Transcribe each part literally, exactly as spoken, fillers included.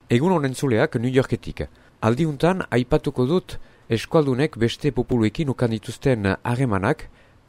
Egun honen zuleak New Yorketik. Aldiuntan, aipatuko dut eskualdunek beste populuekin ukan dituzten harremanak,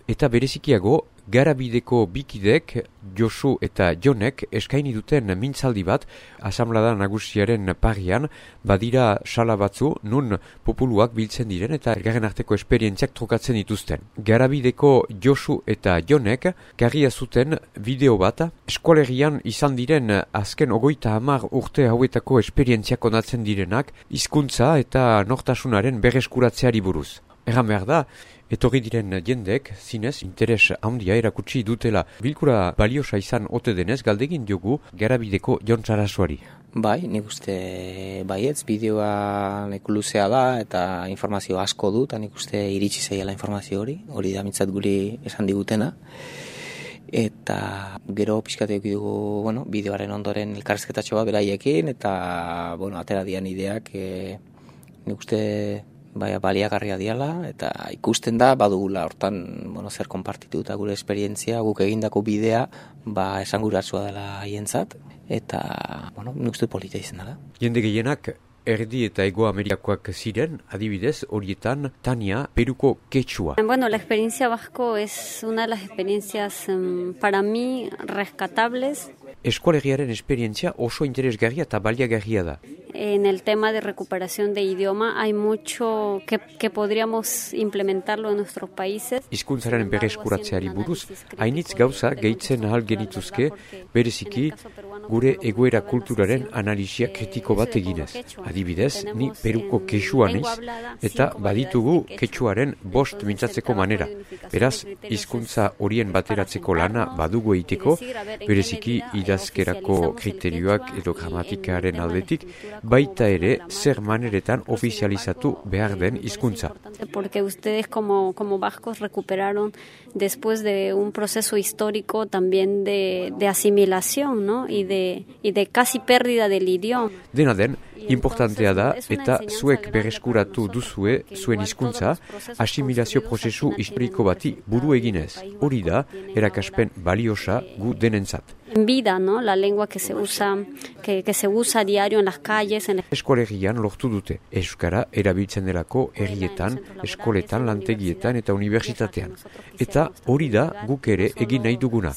eta berezikiago, Garabideko bikidek, Josu eta Jonek eskaini duten mintzaldi bat, asamblada nagusiaren parian, badira sala batzu, nun populuak biltzen diren eta elgarren arteko esperientziak trukatzen dituzten. Garabideko Josu eta Jonek, garria zuten bideo bat, eskualerian izan diren azken ogoita hamar urte hauetako esperientziak onatzen direnak, hizkuntza eta nortasunaren berreskuratzeari buruz. Erran behar da, etorri diren jendek, zinez, interes handia erakutsi dutela bilkura baliosa izan ote denez, galdegin diogu Garabideko Jon Sarasuari. Bai, nik uste baietz, bideoa leku luzea da eta informazio asko du, eta nik uste iritsi zaiala informazio hori, hori da mintzat guri esan digutena. Eta gero pixkateok dugu, bueno, bideoaren ondoren elkarrezketatxo bat beraiekin, eta, bueno, atera dian ideak, e, nik uste bai, baliagarria diala, eta ikusten da, badugula hortan, bueno, zer konpartitu eta gure esperientzia, guk egindako bidea, ba, esanguratsua dela haientzat, eta, bueno, nik uste polita izan dela. Jende gehienak, erdi eta Hego Amerikakoak ziren, adibidez, horietan, Tania, Peruko quechua. Bueno, la experiencia vasco es una de las experiencias, um, para mí, rescatables. Eskualegiaren esperientzia oso interesgarria eta baliagarria da. En el tema de recuperación de idioma hay mucho que, que podríamos implementarlo en nuestros países. Hizkuntzaren berreskuratzeari buruz, hainitz gauza gehitzen ahal genituzke, bereziki gure egoera kulturaren analisia kritiko bat eginez. Adibidez, ni Peruko quechua naiz, eta baditugu quechuaren bost mintzatzeko manera. Beraz, hizkuntza horien bateratzeko lana badugu egiteko, bereziki idazkerako kriterioak edo gramatikaren aldetik, baita ere zer maneretan ofizializatu behar den hizkuntza. Porque ustedes como, como vascos recuperaron después de un proceso histórico también de, de asimilación, ¿no? Y de, y de casi pérdida del idioma. Dena den, importantea da eta zuek berreskuratu duzue zuen hizkuntza asimilazio prozesu historiko bati buru eginez. Hori da, erakaspen baliosa gu denentzat. En vida, ¿no? La lengua que se usa, que, que se usa a diario en las calles. En... Eskualerian lortu dute. Euskara erabiltzen delako herrietan, eskoletan, lantegietan eta unibertsitatean. Eta hori da guk ere egin nahi duguna.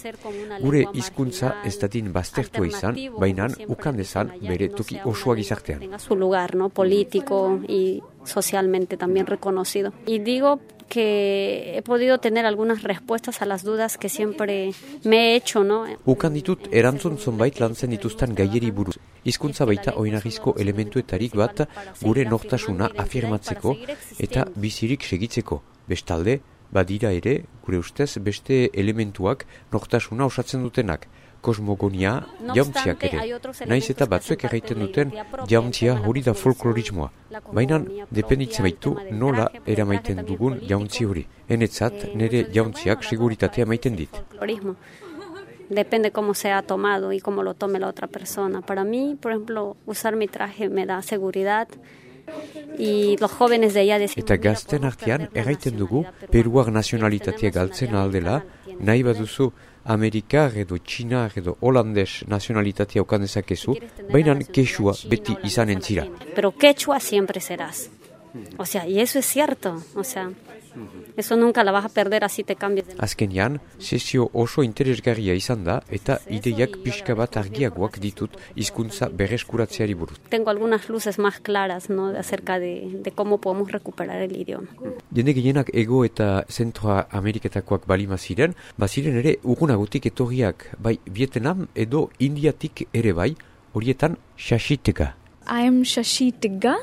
Gure hizkuntza ez dadin baztertua izan, baina ukan dezan bere toki osoa gizartean. Tenga su lugar, ¿no? Político y socialmente también reconocido. Y digo que he podido tener algunas respuestas a las dudas que siempre me he hecho, ¿no? Ukan ditut erantzun zonbait lantzen dituzten gaieri buruz. Hizkuntza baita oinarrizko elementuetarik bat gure nortasuna afirmatzeko eta bizirik segitzeko. Bestalde, badira ere, gure ustez, beste elementuak nortasuna osatzen dutenak. Kosmogonia, jauntziak ere. Naiz eta batzuek erraiten duten jauntzia hori da folklorismoa. Baina, dependitzen baitu nola eramaiten dugun jauntzi hori. Enetzat, nire jauntziak seguritatea maiten dit. Depende cómo se ha tomado y cómo lo tome la otra persona. Para mí, por ejemplo, usar mi traje me da seguridad. Y los jóvenes de allá decían... Eta gazten artean erraiten dugu peruar nazionalitatea galtzen aldela, nahi baduzu Amerikar edo Txinar edo Holandes nazionalitatea okan dezakezu, baina quechua beti izanen zira. Pero quechua siempre serás. O sea, y eso es cierto. O sea, eso nunca la vas a perder así te cambias. Azkenean, sesio oso interesgarria izan da eta ideiak pixka bat argiagoak ditut hizkuntza berreskuratzeari buruz. Tengo algunas luces más claras, ¿no? acerca de, de cómo podemos recuperar el idioma. Jende gehienak Ego eta Zentroa Ameriketakoak balima ziren, baziren ere urgunagotik etorriak, bai Vietnam edo Indiatik ere bai, horietan Shashi Tega. I am Shashi Tigga.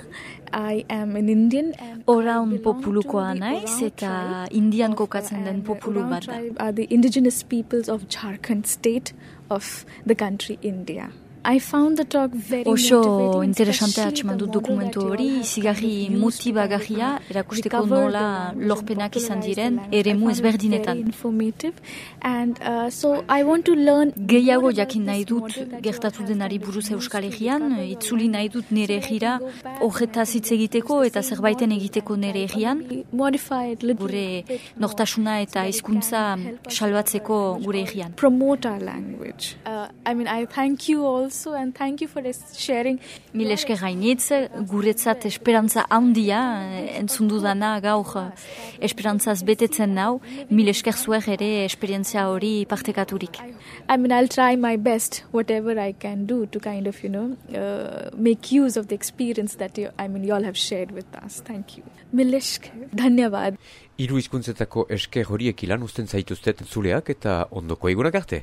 I am an Indian. Oraun populukoa naiz eta Indian kokatzen den populu bat da. Are the indigenous peoples of Jharkhand state of the country India. I found the talk very Oso interesante atxeman dut dokumentu hori, zigarri motibagarria, erakusteko nola lorpenak izan diren, eremu ezberdinetan. And uh, so I want to learn gehiago jakin nahi dut gertatu denari buruz Euskal Herrian, itzuli nahi dut nire egira, horretaz hitz egiteko eta zerbaiten egiteko nire egian, gure nortasuna eta hizkuntza salbatzeko gure egian. Promote our language. Uh, I mean, I thank you all also, and thank you for sharing. Mil esker gainitz, guretzat esperantza handia, entzundu dana gaur esperantzaz betetzen nau, mil esker zuer ere esperientzia hori partekaturik. I mean, I'll try my best, whatever I can do to kind of, you know, uh, make use of the experience that you, I mean, you all have shared with us. Thank you. Mil esker, dhanyavad. Hiru hizkuntzetako esker horiek ilan usten zaituztet zuleak eta ondoko egunak arte.